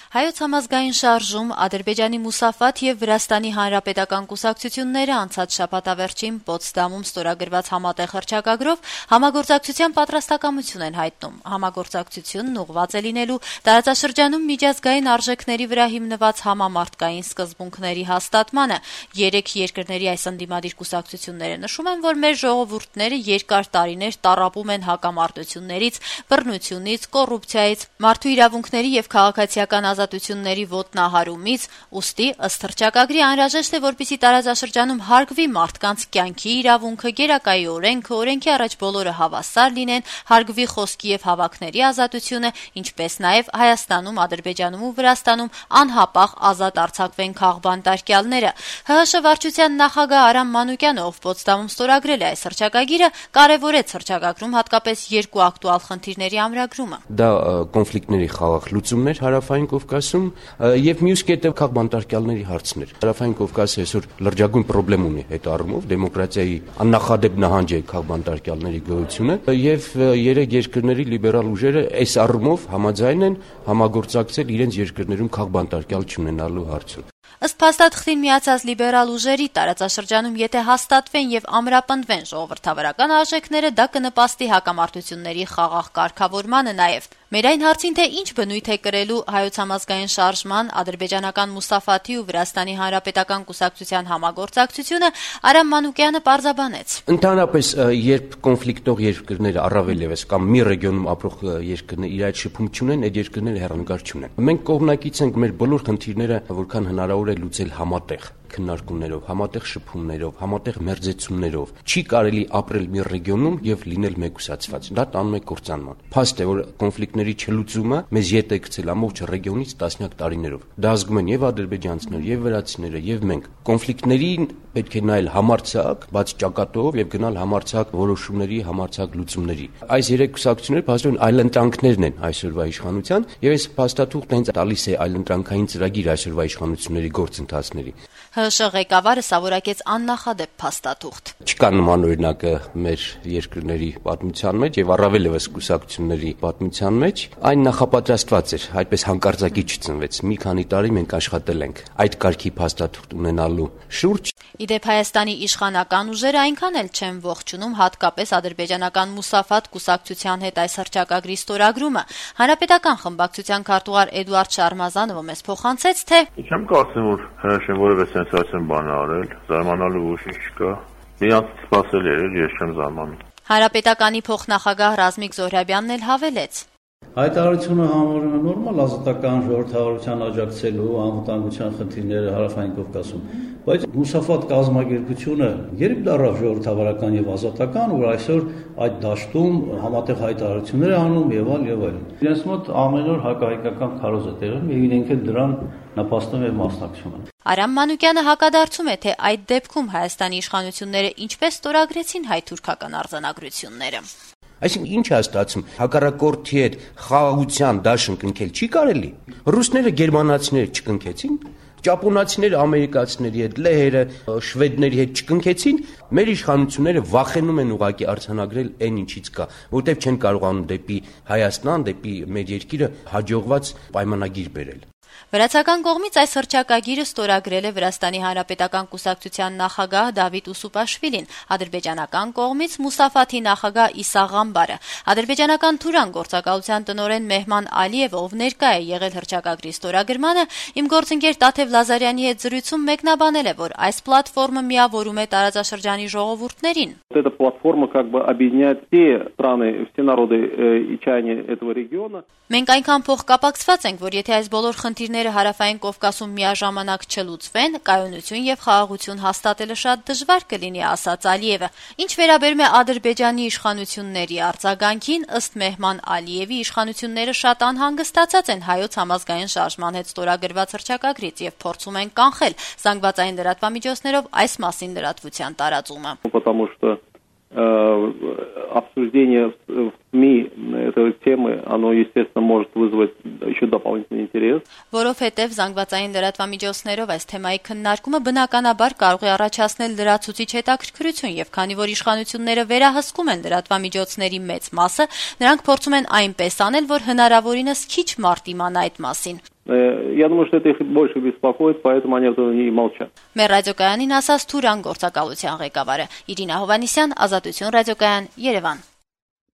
Հայոց համազգային շարժում, Ադրբեջանի Մուսաֆաթ եւ Վրաստանի Հանրապետական կուսակցությունները անցած շաբաթավերջին Պոտսդամում ստորագրված համատեղ հռչակագրով համագործակցության պատրաստակամություն են հայտնում։ Համագործակցությունն ուղղված է լինելու տարածաշրջանում միջազգային արժեքների վրա հիմնված համամարտկային սկզբունքների հաստատմանը։ Երեք երկրների այս ընդդիմադիր կուսակցությունները նշում են, որ մեր ժողովուրդները երկար տարիներ տառապում են հակամարտություններից, բռնությունից, կոռուպցիայից, մարդու իրավունքների եւ քաղաքացիական ազատությունների ոտնահարումից, ուստի ըստ հռչակագրի անհրաժեշտ է, որպեսզի տարածաշրջանում հարգվի մարդկանց կյանքի իրավունքը, գերակայի օրենքը, օրենքի առաջ բոլորը հավասար լինեն, հարգվի խոսքի եւ հավաքների ազատությունը, ինչպես նաեւ Հայաստանում, Ադրբեջանում ու Վրաստանում անհապաղ ազատ արձակվեն քաղբանտարկյալները։ ՀՀՇ վարչության նախագահ Արամ Մանուկյանը, ով Պոտսդամում ստորագրել է այս հռչակագիրը, կարևորեց հռչակագրում հատկապես երկու ակտուալ խնդիրների ամրագրումը։ Դա կոնֆլիկտների խաղաղ լուծումներ Հարավային Կովկասում եւ մյուս կետը քաղբանտարկյալների հարցներ։ Հարավային Կովկասը այսօր լրջագույն խնդրեմ ունի այդ առումով, դեմոկրատիայի աննախադեպ նահանջ է քաղբանտարկյալների գոյությունը եւ երեք երկրների լիբերալ ուժերը այս առումով համաձայն են համագործակցել իրենց երկրներում քաղբանտարկյալ չունենալու հարցում։ Ըստ փաստաթղթին միացած լիբերալ ուժերի տարածաշրջանում եթե հաստատվեն եւ ամրապնդվեն ժողովրդավարական արժեքները, դա կնպաստի հակամարտությունների խաղաղ կարգավորմանը նաեւ։ Մեր այն հարցին, թե ինչ բնույթ է կրելու Հայոց համազգային շարժման, ադրբեջանական Մուսաֆաթի ու Վրաստանի Հանրապետական կուսակցության համագործակցությունը, Արամ Մանուկյանը պարզաբանեց։ Ընդհանրապես, երբ կոնֆլիկտող երկրները առավել եւս կամ մի ռեգիոնում ապրող երկրներ իր այդ շփում չունեն, այդ երկրները հեռանկար չունեն։ Մենք կողմնակից ենք մեր բոլոր խնդիրները, որքան հնարավոր է լուծել համատեղ քննարկումներով, համատեղ շփումներով, համատեղ մերձեցումներով։ Չի կարելի ապրել մի ռեգիոնում եւ լինել մեկուսացված։ Դա տանում է կործանման։ Փաստ է, որ կոնֆլիկտների չլուծումը մեզ ետ է գցել ամբողջ ռեգիոնից տասնյակ տարիներով։ Դա ազգում են եւ ադրբեջանցիները, եւ վրացիները, եւ մենք։ Կոնֆլիկտներին պետք է նայել համարձակ, բաց ճակատով եւ գնալ համարձակ որոշումների, համարձակ լուծումների։ Այս երեք կուսակցությունները փաստորեն այլընտրանքներն են այսօրվա իշխանության եւ այս փաստաթուղթը հենց տալիս է այլընտրանքային ծրագիր այսօրվա իշխանությունների գործընթացների։ ՀՀՇ ղեկավարը սավորակեց աննախադեպ փաստաթուղթ։ Չկա նման օրինակը մեր երկրների պատմության մեջ եւ առավել եւս կուսակցությունների պատմության մեջ։ Այն նախապատրաստված էր, այդպես հանկարծակի չծնվեց։ Մի քանի տարի մենք աշխատել ենք այդ կարգի փաստաթուղթ ունենալու շուրջ։ Իդեպ Հայաստանի իշխանական ուժերը այնքան էլ չեն ողջունում հատկապես ադրբեջանական Մուսաֆաթ կուսակցության հետ այս հռչակագրի ստորագրումը։ Հանրապետական խմբակցության քարտուղար Էդուարդ Շարմազանովը մեզ փոխանցեց, թե Չեմ կարծում, որ ՀՀՇ-ն որևէ սենսացիոն բան արել, զարմանալու ոչինչ չկա։ Միանց սպասել էր, ես չեմ զարմանում։ Հանրապետականի փոխնախագահ Ռազմիկ Զոհրաբյանն էլ հավելեց. Հայտարարությունը համարում է նորմալ ազատական ժողովրդավարության աջակցելու անվտանգության խնդիրները Հարավային Կովկասում, բայց Մուսաֆաթ կազմակերպությունը երբ դառավ ժողովրդավարական եւ ազատական, որ այսօր այդ դաշտում համատեղ հայտարարություններ է անում եւ այլն։ Իրենց մոտ ամեն օր հակահայկական քարոզ է տեղում եւ իրենք էլ դրան նպաստում եւ մասնակցում են։ Արամ Մանուկյանը հակադարձում է, թե այդ դեպքում Հայաստանի իշխանությունները ինչպես ստորագրեցին հայ-թուրքական արձանագրությունները։ Այսինքն ինչ է ստացվում, հակառակորդի հետ խաղաղության դաշն կնքել չի կարելի։ Ռուսները գերմանացիները չկնքեցին, ճապոնացիները ամերիկացիների հետ, լեհերը, շվեդների հետ չկնքեցին, մեր իշխանությունները վախենում են ուղղակի արձանագրել այն ինչից կա, որտեղ չեն կարողանում դեպի Հայաստան, դեպի մեր երկիրը հաջողված պայմանագիր բերել։ Վրացական կողմից այս հռչակագիրը ստորագրել է Վրաստանի Հանրապետական կուսակցության նախագահ Դավիթ Ուսուպաշվիլին, ադրբեջանական կողմից Մուսաֆաթի նախագահ Իսա Ղամբարը։ Ադրբեջանական Թուրան գործակալության տնօրեն Մեհման Ալիևը, ով ներկա է եղել հռչակագրի ստորագրմանը, իմ գործընկեր Տաթև Լազարյանի հետ զրույցում մեկնաբանել է, որ այս պլատֆորմը միավորում է տարածաշրջանի ժողովուրդներին։ Эта платформа как бы объединяет все страны, все народы и чаяния этого региона. Մենք այնքան փոխկապակցված ենք, որ եթե այս բոլոր խնդիրները Հարավային Կովկասում միաժամանակ չլուծվեն, կայունություն եւ խաղաղություն հաստատելը շատ դժվար կլինի, ասաց Ալիևը։ Ինչ վերաբերում է Ադրբեջանի իշխանությունների արձագանքին, ըստ Մեհման Ալիևի, իշխանությունները շատ անհանգստացած են Հայոց համազգային շարժման հետ ստորագրված հռչակագրից եւ փորձում են կանխել զանգվածային լրատվամիջոցներով այս մասին լրատվության տարածումը։ Потому что обсуждение в СМИ этой темы, оно, естественно, может вызвать еще дополнительный интерес. Որովհետև զանգվածային լրատվամիջոցներով այս թեմայի քննարկումը բնականաբար կարող է առաջացնել լրացուցիչ հետաքրքրություն, եւ քանի որ իշխանությունները վերահսկում են լրատվամիջոցների մեծ մասը, նրանք փորձում են այնպես անել, որ հնարավորինս քիչ մարդ իմանա այդ մասին։ Я думаю, что это их больше беспокоит, поэтому они и молчат. Մեր ռադիոկայանին ասաց Թուրան գործակալության ղեկավարը Իրինա Հովանիսյան, Ազատություն ռադիոկայան, Երևան։